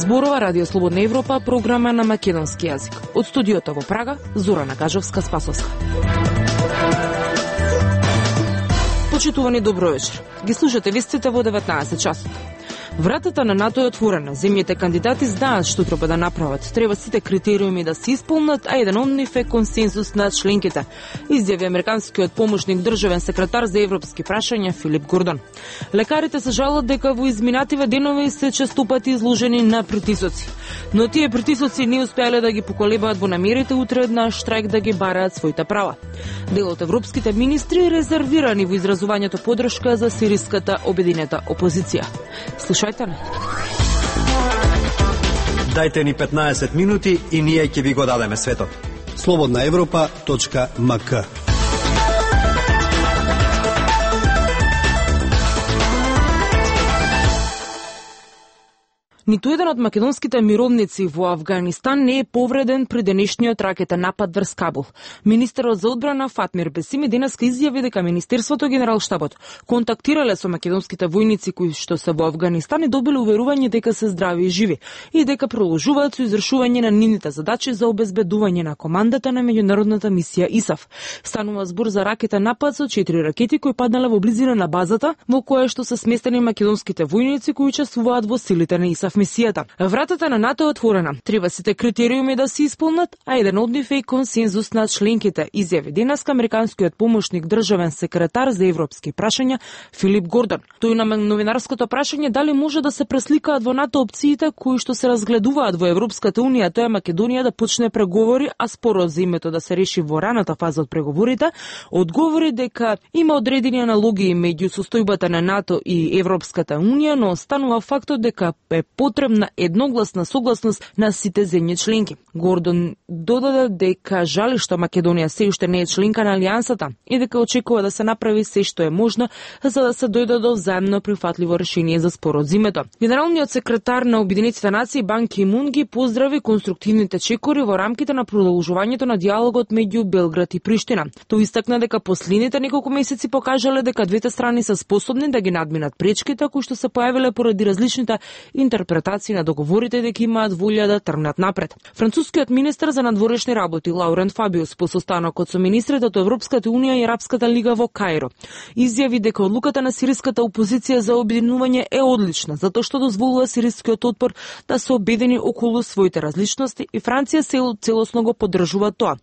Зборува Радио Слободна Европа, програма на македонски јазик. Од студиото во Прага, Зорана Кажовска-Спасовска. Почитувани, добро вечер. Ги слушате вестите во 19 часот. Вратата на НАТО е отворена. Земјите кандидати знаат што треба да направат. Треба сите критериуми да се исполнат, а еден од нив е консензус на членките, изјави американскиот помошник државен секретар за европски прашања Филип Гордон. Лекарите се жалат дека во изминативе денови се често пати изложени на притисоци. Но тие притисоци не успеале да ги поколебаат во намерите утре на штрајк да ги бараат своите права. Дел од европските министри резервирани во изразувањето поддршка за сириската обединета опозиција. Слушајте не. Дајте ни 15 минути и ние ќе ви го дадеме светот. slobodnaevropa.mk. Ниту еден од македонските мировници во Авганистан не е повреден при денешниот ракетен напад врз Кабул. Министерот за одбрана Фатмир Бесими денеска изјави дека Министерството Генералштабот контактирале со македонските војници кои што се во Авганистан и добиле уверување дека се здрави и живи и дека продолжуваат со изршување на нивните задачи за обезбедување на командата на меѓународната мисија ИСАФ. Станува збор за ракетен напад со 4 ракети кои паднале во близина на базата во која што се сместени македонските војници кои учествуваат во силите на ИСАФ мисијата. Вратата на НАТО е отворена. Треба сите критериуми да се исполнат, а еден од нив е консензус на членките, изјави денеска американскиот помошник државен секретар за европски прашања Филип Гордон. Тој на новинарското прашање дали може да се пресликаат во НАТО опциите кои што се разгледуваат во Европската унија, тоа е Македонија да почне преговори, а спорот за името да се реши во раната фаза од преговорите, одговори дека има одредени аналогии меѓу состојбата на НАТО и Европската унија, но останува фактот дека е потребна едногласна согласност на сите земји членки. Гордон додаде дека жали што Македонија се уште не е членка на алијансата и дека очекува да се направи се што е можно за да се дојде до взаемно прифатливо решение за спорот за името. Генералниот секретар на Обединетите нации Бан Ки Мун ги поздрави конструктивните чекори во рамките на продолжувањето на диалогот меѓу Белград и Приштина. Тој истакна дека последните неколку месеци покажале дека двете страни се способни да ги надминат пречките кои што се појавиле поради различните интерпретации на договорите дека имаат волја да тргнат напред. Францускиот министер за надворешни работи Лаурент Фабиус по состанокот со министрите од Европската унија и Арапската лига во Каиро изјави дека одлуката на сириската опозиција за обединување е одлична, затоа што дозволува сирискиот отпор да се обедини околу своите различности и Франција целосно го поддржува тоа.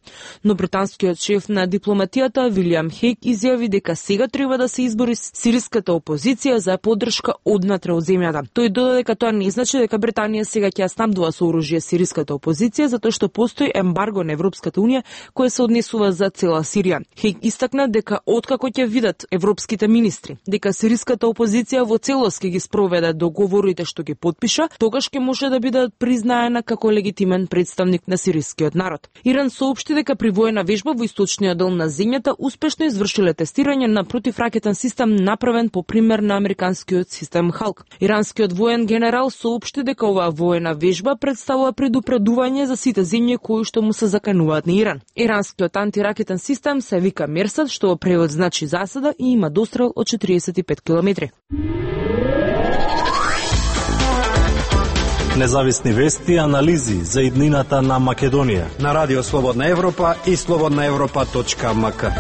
Но британскиот шеф на дипломатијата Вилијам Хейк изјави дека сега треба да се избори сириската опозиција за поддршка однатре од земјата. Тој додаде дека тоа не значи дека Британија сега ќе ја снабдува со оружје сириската опозиција затоа што постои ембарго на Европската унија кој се однесува за цела Сирија. Хейк истакна дека откако ќе видат европските министри дека сириската опозиција во целост ќе ги спроведе договорите што ги потпиша, тогаш ќе може да биде признаена како легитимен представник на сирискиот народ. Иран соопшти дека при воена вежба во источниот дел на земјата успешно извршиле тестирање на противракетен систем направен по пример на американскиот систем Халк. Иранскиот воен генерал соопшти дека оваа воена вежба представува предупредување за сите земји кои што му се закануваат на Иран. Иранскиот антиракетен систем се вика Мерсад, што во превод значи засада и има дострел од 45 километри. Независни вести и анализи за иднината на Македонија на Радио Слободна Европа и slobodnaevropa.mk.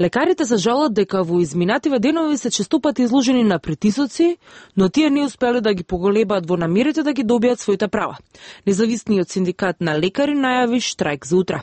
Лекарите се жалат дека во изминативе денови се често пати изложени на притисоци, но тие не успеле да ги поголебаат во намерите да ги добијат своите права. Независниот синдикат на лекари најави штрајк за утре.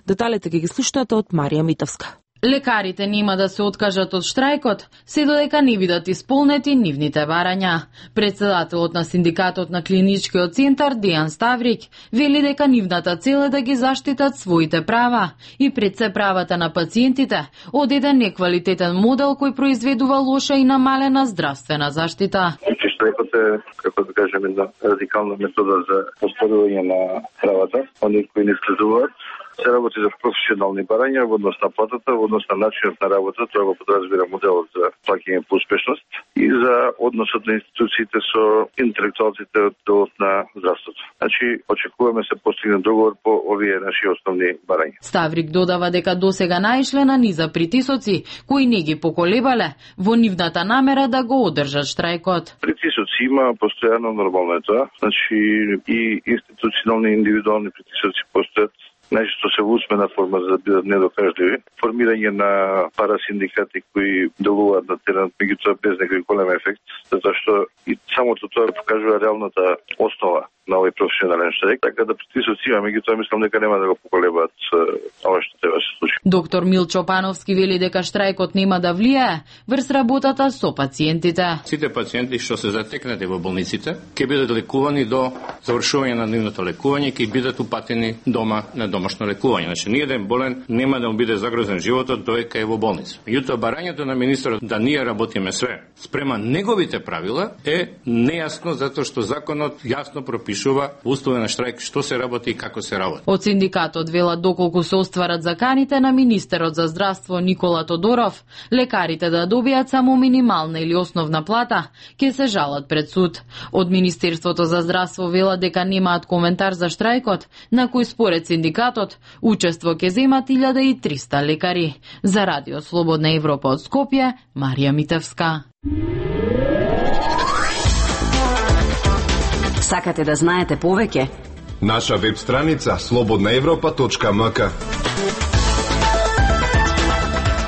Деталите ги слушнете од Марија Митовска. Лекарите нема да се откажат од штрајкот, се додека не бидат исполнети нивните барања. Председателот на синдикатот на клиничкиот центар Дејан Ставрик вели дека нивната цел е да ги заштитат своите права и пред се правата на пациентите од еден неквалитетен модел кој произведува лоша и намалена здравствена заштита. Штрајкот е, како да кажеме, една радикална метода за оспорување на правата, оние кои не следуваат Се работи за професионални барања во однос на платата, во однос на начинот на работа, тоа го подразбира моделот за плаќање по успешност и за односот на институциите со интелектуалците од делот на здравството. Значи, очекуваме се постигне договор по овие наши основни барања. Ставрик додава дека досега наишле на низа притисоци кои не ги поколебале во нивната намера да го одржат штрајкот. Притисоци има постојано, нормално е тоа. Значи и институционални и индивидуални притисоци постојат. Најчесто се во усмена форма за да бидат недокажливи. Формирање на парасиндикати кои делуваат на терен, меѓутоа без некој голем ефект, затоа што и самото тоа покажува реалната основа на овој професионален штрајк, така да притисоци има, меѓутоа мислам дека нема да го поколебаат ова што треба се случи. Доктор Милчо Пановски вели дека штрајкот нема да влијае врз работата со пациентите. Сите пациенти што се затекнати во болниците ќе бидат лекувани до завршување на нивното лекување, ќе бидат упатени дома на домашно лекување. Значи, ниеден болен нема да му биде загрозен животот додека е во болница. Меѓутоа, барањето на министерот да ние работиме све спрема неговите правила е нејасно затоа што законот јасно пропишува услови на штрајк што се работи и како се работи. Од синдикатот велат доколку се остварат заканите на министерот за здравство Никола Тодоров, лекарите да добијат само минимална или основна плата, ќе се жалат пред суд. Од Министерството за здравство велат дека немаат коментар за штрајкот, на кој според синдикатот учество ќе земат 1300 лекари. За Радио Слободна Европа од Скопје, Марија Митевска. Сакате да знаете повеќе? Наша веб страница slobodnaevropa.mk.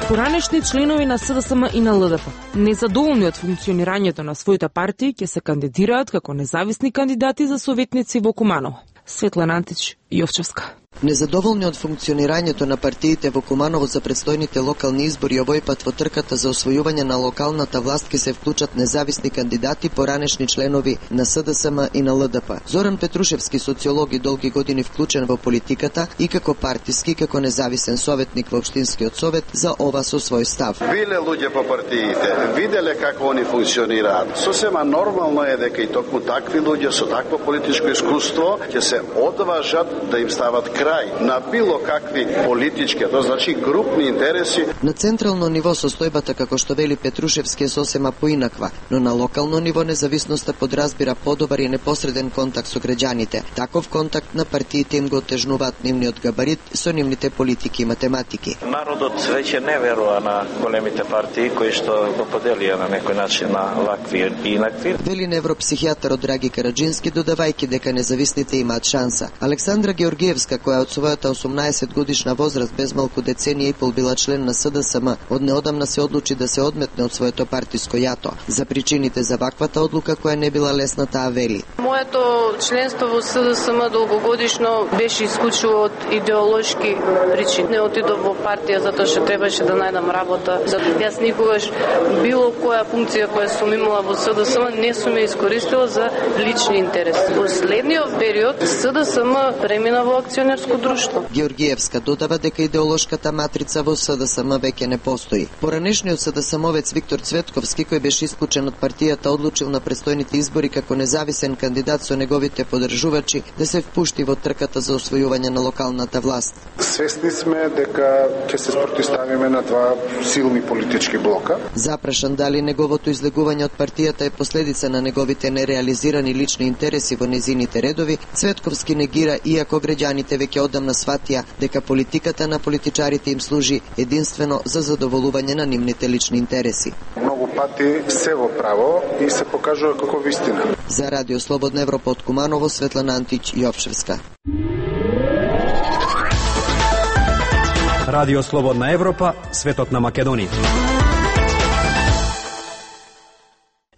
Поранешни членови на СДСМ и на ЛДП, незадоволни од функционирањето на своите партии, ќе се кандидираат како независни кандидати за советници во Куманово. Светлана Антич, Јовчевска. Незадоволни од функционирањето на партиите во Куманово за предстојните локални избори, овој пат во трката за освојување на локалната власт ќе се вклучат независни кандидати, поранешни членови на СДСМ и на ЛДП. Зоран Петрушевски, социолог и долги години вклучен во политиката и како партиски, како независен советник во општинскиот совет, за ова со свој став. Биле луѓе по партиите, виделе како они функционираат. Сосема нормално е дека и токму такви луѓе со такво политичко искуство ќе се одважат да им стават крај на било какви политички, тоа значи групни интереси. На централно ниво состојбата, како што вели Петрушевски, е сосема поинаква, но на локално ниво независноста подразбира подобар и непосреден контакт со граѓаните. Таков контакт на партиите им го отежнуваат нивниот габарит со нивните политики и математики. Народот веќе не верува на големите партии кои што го поделија на некој начин на вакви и инакви. Вели невропсихијатарот Драги Караджински, додавајќи дека независните имаат шанса. Александра Георгиевска, која од својата 18 годишна возраст без малку деценија и пол била член на СДСМ, од неодамна се одлучи да се одметне од своето партиско јато. За причините за ваквата одлука, која не била лесна, таа вели. Моето членство во СДСМ долгогодишно беше исклучиво од идеолошки причини. Не отидов во партија затоа што требаше да најдам работа. Затоа јас никогаш било која функција која сум имала во СДСМ не сум ја искористила за лични интереси. Во следниот период СДСМ премина во акционерско друштво. Георгиевска додава дека идеолошката матрица во СДСМ веќе не постои. Поранешниот СДСМовец Виктор Цветковски, кој беше исклучен од партијата, одлучил на престојните избори како независен кандидат со неговите поддржувачи да се впушти во трката за освојување на локалната власт. Свесни сме дека ќе се спротивставиме на два силни политички блока. Запрашан дали неговото излегување од партијата е последица на неговите нереализирани лични интереси во незините редови, Цветковски негира, иако граѓаните веќе одамна сватија дека политиката на политичарите им служи единствено за задоволување на нивните лични интереси. Многу пати се во право и се покажува како вистина. За Радио Слободна Европа од Куманово, Светлана Антич, Јовчевска. Радио Слободна Европа, светот на Македонија.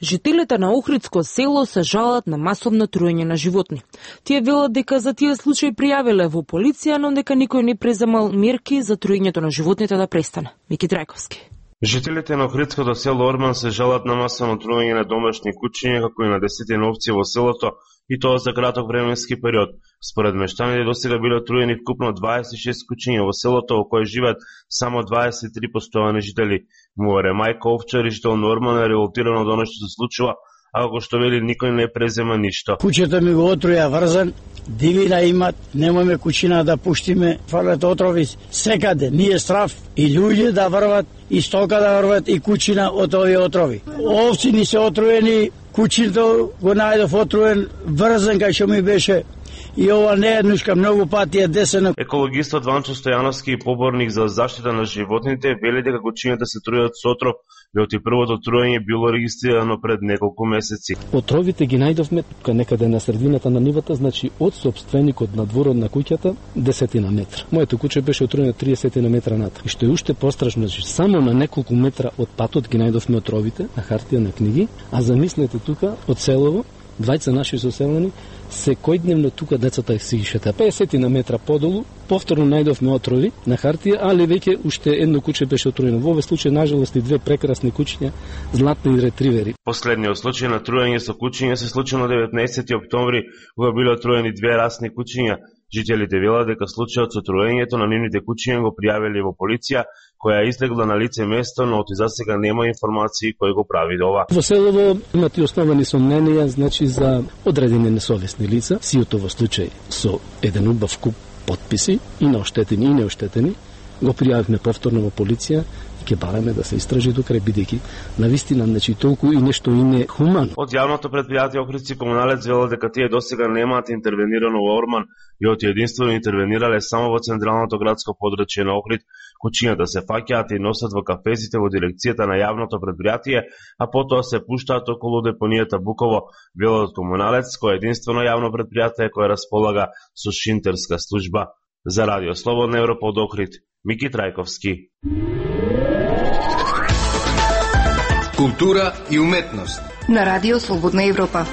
Жителите на Охридско село се жалат на масовно труење на животни. Тие велат дека за тие случаи пријавиле во полиција, но дека никој не преземал мерки за труењето на животните да престане. Мики Трајковски. Жителите на Охридското село Орман се жалат на масовно труење на домашни кучиња, како и на десетина овци во селото, и тоа за краток временски период. Според мештаните досега биле труени вкупно 26 кучиња во селото, во кое живеат само 23 постојани жители. Море мајка овчар и жител на Орман е револтирано од оно што се случува, а како што вели никој не презема ништо. Кучето ми го отруја врзан, дивина имат, немојме кучина да пуштиме, фрлат отрови секаде, ние страв и луѓе да врват, и стока да врват, и кучина од овие отрови. Овци ни се отруени, кучиното го најдов отруен, врзан кај што ми беше. И ова не е еднушка, многу пати е десено. Екологистот Ванчо Стојановски и поборник за заштита на животните вели дека кучињата се трујат со отров, и првото труење било регистрирано пред неколку месеци. Отровите ги најдовме тука некаде на средината на нивата, значи од сопственикот на дворот на куќата 10 метра. Моето куче беше отруено 30 метра над. И што е уште пострашно, значи само на неколку метра од патот ги најдовме отровите на хартија на книги, а замислете тука од селово, двајца наши соселани, секојдневно тука децата си ги шета. 50 метра подолу, повторно најдовме отрови на хартија, али веќе уште едно куче беше отруено. Во овој случај, нажалост, и две прекрасни кучиња, златни ретривери. Последниот случај на труење со кучиња се случи на 19 октомври, кога биле отруени две расни кучиња. Жителите велат дека случајот со труењето на нивните кучиња го пријавиле во полиција, која излегла на лице место, но оти засега нема информации кој го прави ова. Во селово имат и основани сомненија, значи за одредени несовесни лица, сиото во случај со еден убав куп потписи, и на оштетени и неоштетени, го пријавивме повторно во полиција и ќе бараме да се истражи до крај, бидејќи навистина, значи толку и нешто и не хумано. Од јавното предпријатие Охридски комуналец велат дека тие досега немаат интервенирано во Орман и оти единствено интервенирале само во централното градско подрачје на Охрид. Кучињата се фаќаат и носат во кафезите во дирекцијата на јавното предпријатие, а потоа се пуштаат околу депонијата Буково, велат комуналец, кој е единствено јавно предпријатие кое располага со шинтерска служба. За Радио Слободна Европа од Охрид, Мики Трајковски. Култура и уметност на Радио Слободна Европа.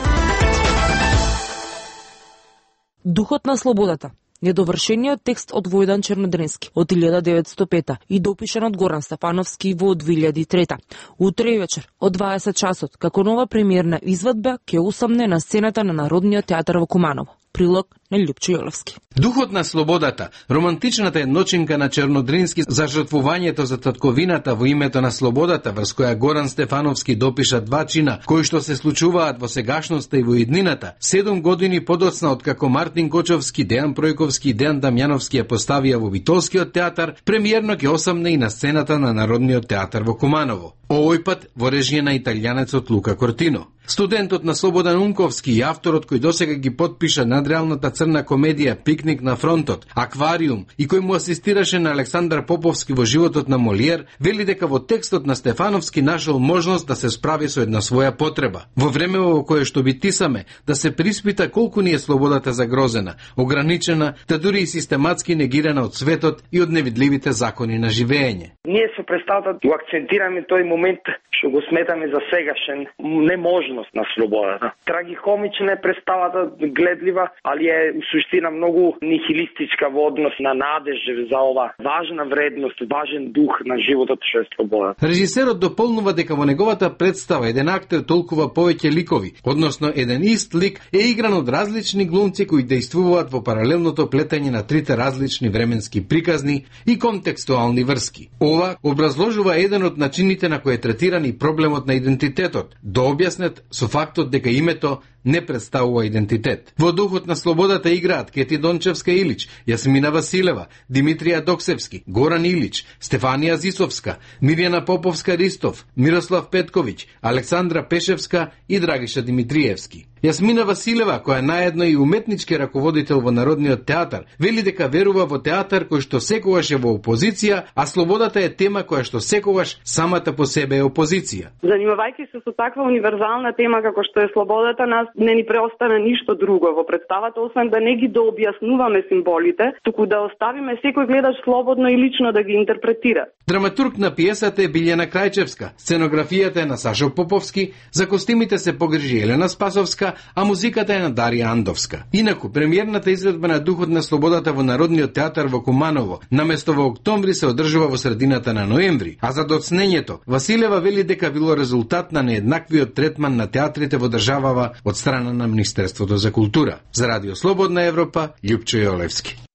Духот на слободата. Недовршениот текст од Војдан Чернодренски од 1905 и допишан од Горан Стефановски во 2003. Утре вечер од 20 часот, како нова премиерна извадба, ќе усамне на сцената на Народниот театар во Куманово. Прилог на Љупчо Јолевски. Духот на слободата, романтичната едночинка на Чернодренски за жртвувањето за татковината во името на слободата, врз која Горан Стефановски допиша два чина кои што се случуваат во сегашноста и во иднината, 7 години подоцна од како Мартин Кочовски, Дејан Пројковски и Дејан Дамјановски ја поставија во Битолскиот театар, премиерно ќе осамне и на сцената на Народниот театар во Куманово. Овој пат во режија на италијанецот Лука Кортино. Студентот на Слободан Унковски и авторот кој досега ги подпиша надреалната црна комедија Пикник на фронтот, Аквариум и кој му асистираше на Александар Поповски во животот на Молиер, вели дека во текстот на Стефановски нашол можност да се справи со една своја потреба. Во време во кое што битисаме, да се приспита колку ни е слободата загрозена, ограничена, та дури и систематски негирана од светот и од невидливите закони на живење. Ние со представата го акцентираме тој момент што го сметаме за сегашен неможност на слободата. Трагикомична е представата, гледлива, али е у суштина многу нихилистичка во однос на надеж за ова важна вредност, важен дух на животот што е слободата. Режисерот дополнува дека во неговата представа еден актер толкува повеќе ликови, односно еден ист лик е игран од различни глумци кои действуваат во паралелното плетење на трите различни временски приказни и контекстуални врски. Ова образложува еден од начините на кој е третиран и проблемот на идентитетот, да објаснет со фактот дека името не представува идентитет. Во духот на слободата играат Кети Дончевска Илич, Јасмина Василева, Димитрија Доксевски, Горан Илич, Стефанија Зисовска, Мирјана Поповска Ристов, Мирослав Петковиќ, Александра Пешевска и Драгиша Димитриевски. Јасмина Василева, која наедно и уметнички раководител во Народниот театар, вели дека верува во театар кој што секогаш е во опозиција, а слободата е тема која што секогаш самата по себе е опозиција. Занимавајќи се со таква универзална тема како што е слободата, нас не ни преостана ништо друго во представата, освен да не ги дообјаснуваме символите, туку да оставиме секој гледач слободно и лично да ги интерпретира. Драматург на пиесата е Билјана Крајчевска, сценографијата е на Сашо Поповски, за костимите се погрижи Елена Спасовска, а музиката е на Дарија Андовска. Инаку, премиерната изведба на Духот на слободата во Народниот театар во Куманово, наместо во октомври, се одржува во средината на ноември, а за доцнењето, Василева вели дека било резултат на нееднаквиот третман на театрите во државава од страна на Министерството за култура. За Радио Слободна Европа, Љупчо Јолевски.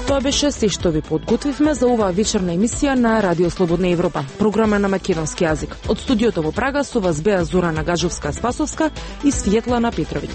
Тоа беше се што ви подготвивме за оваа вечерна емисија на Радио Слободна Европа, програма на македонски јазик. Од студиото во Прага со вас беа Зорана Гажовска-Спасовска и Светлана Петровиќ.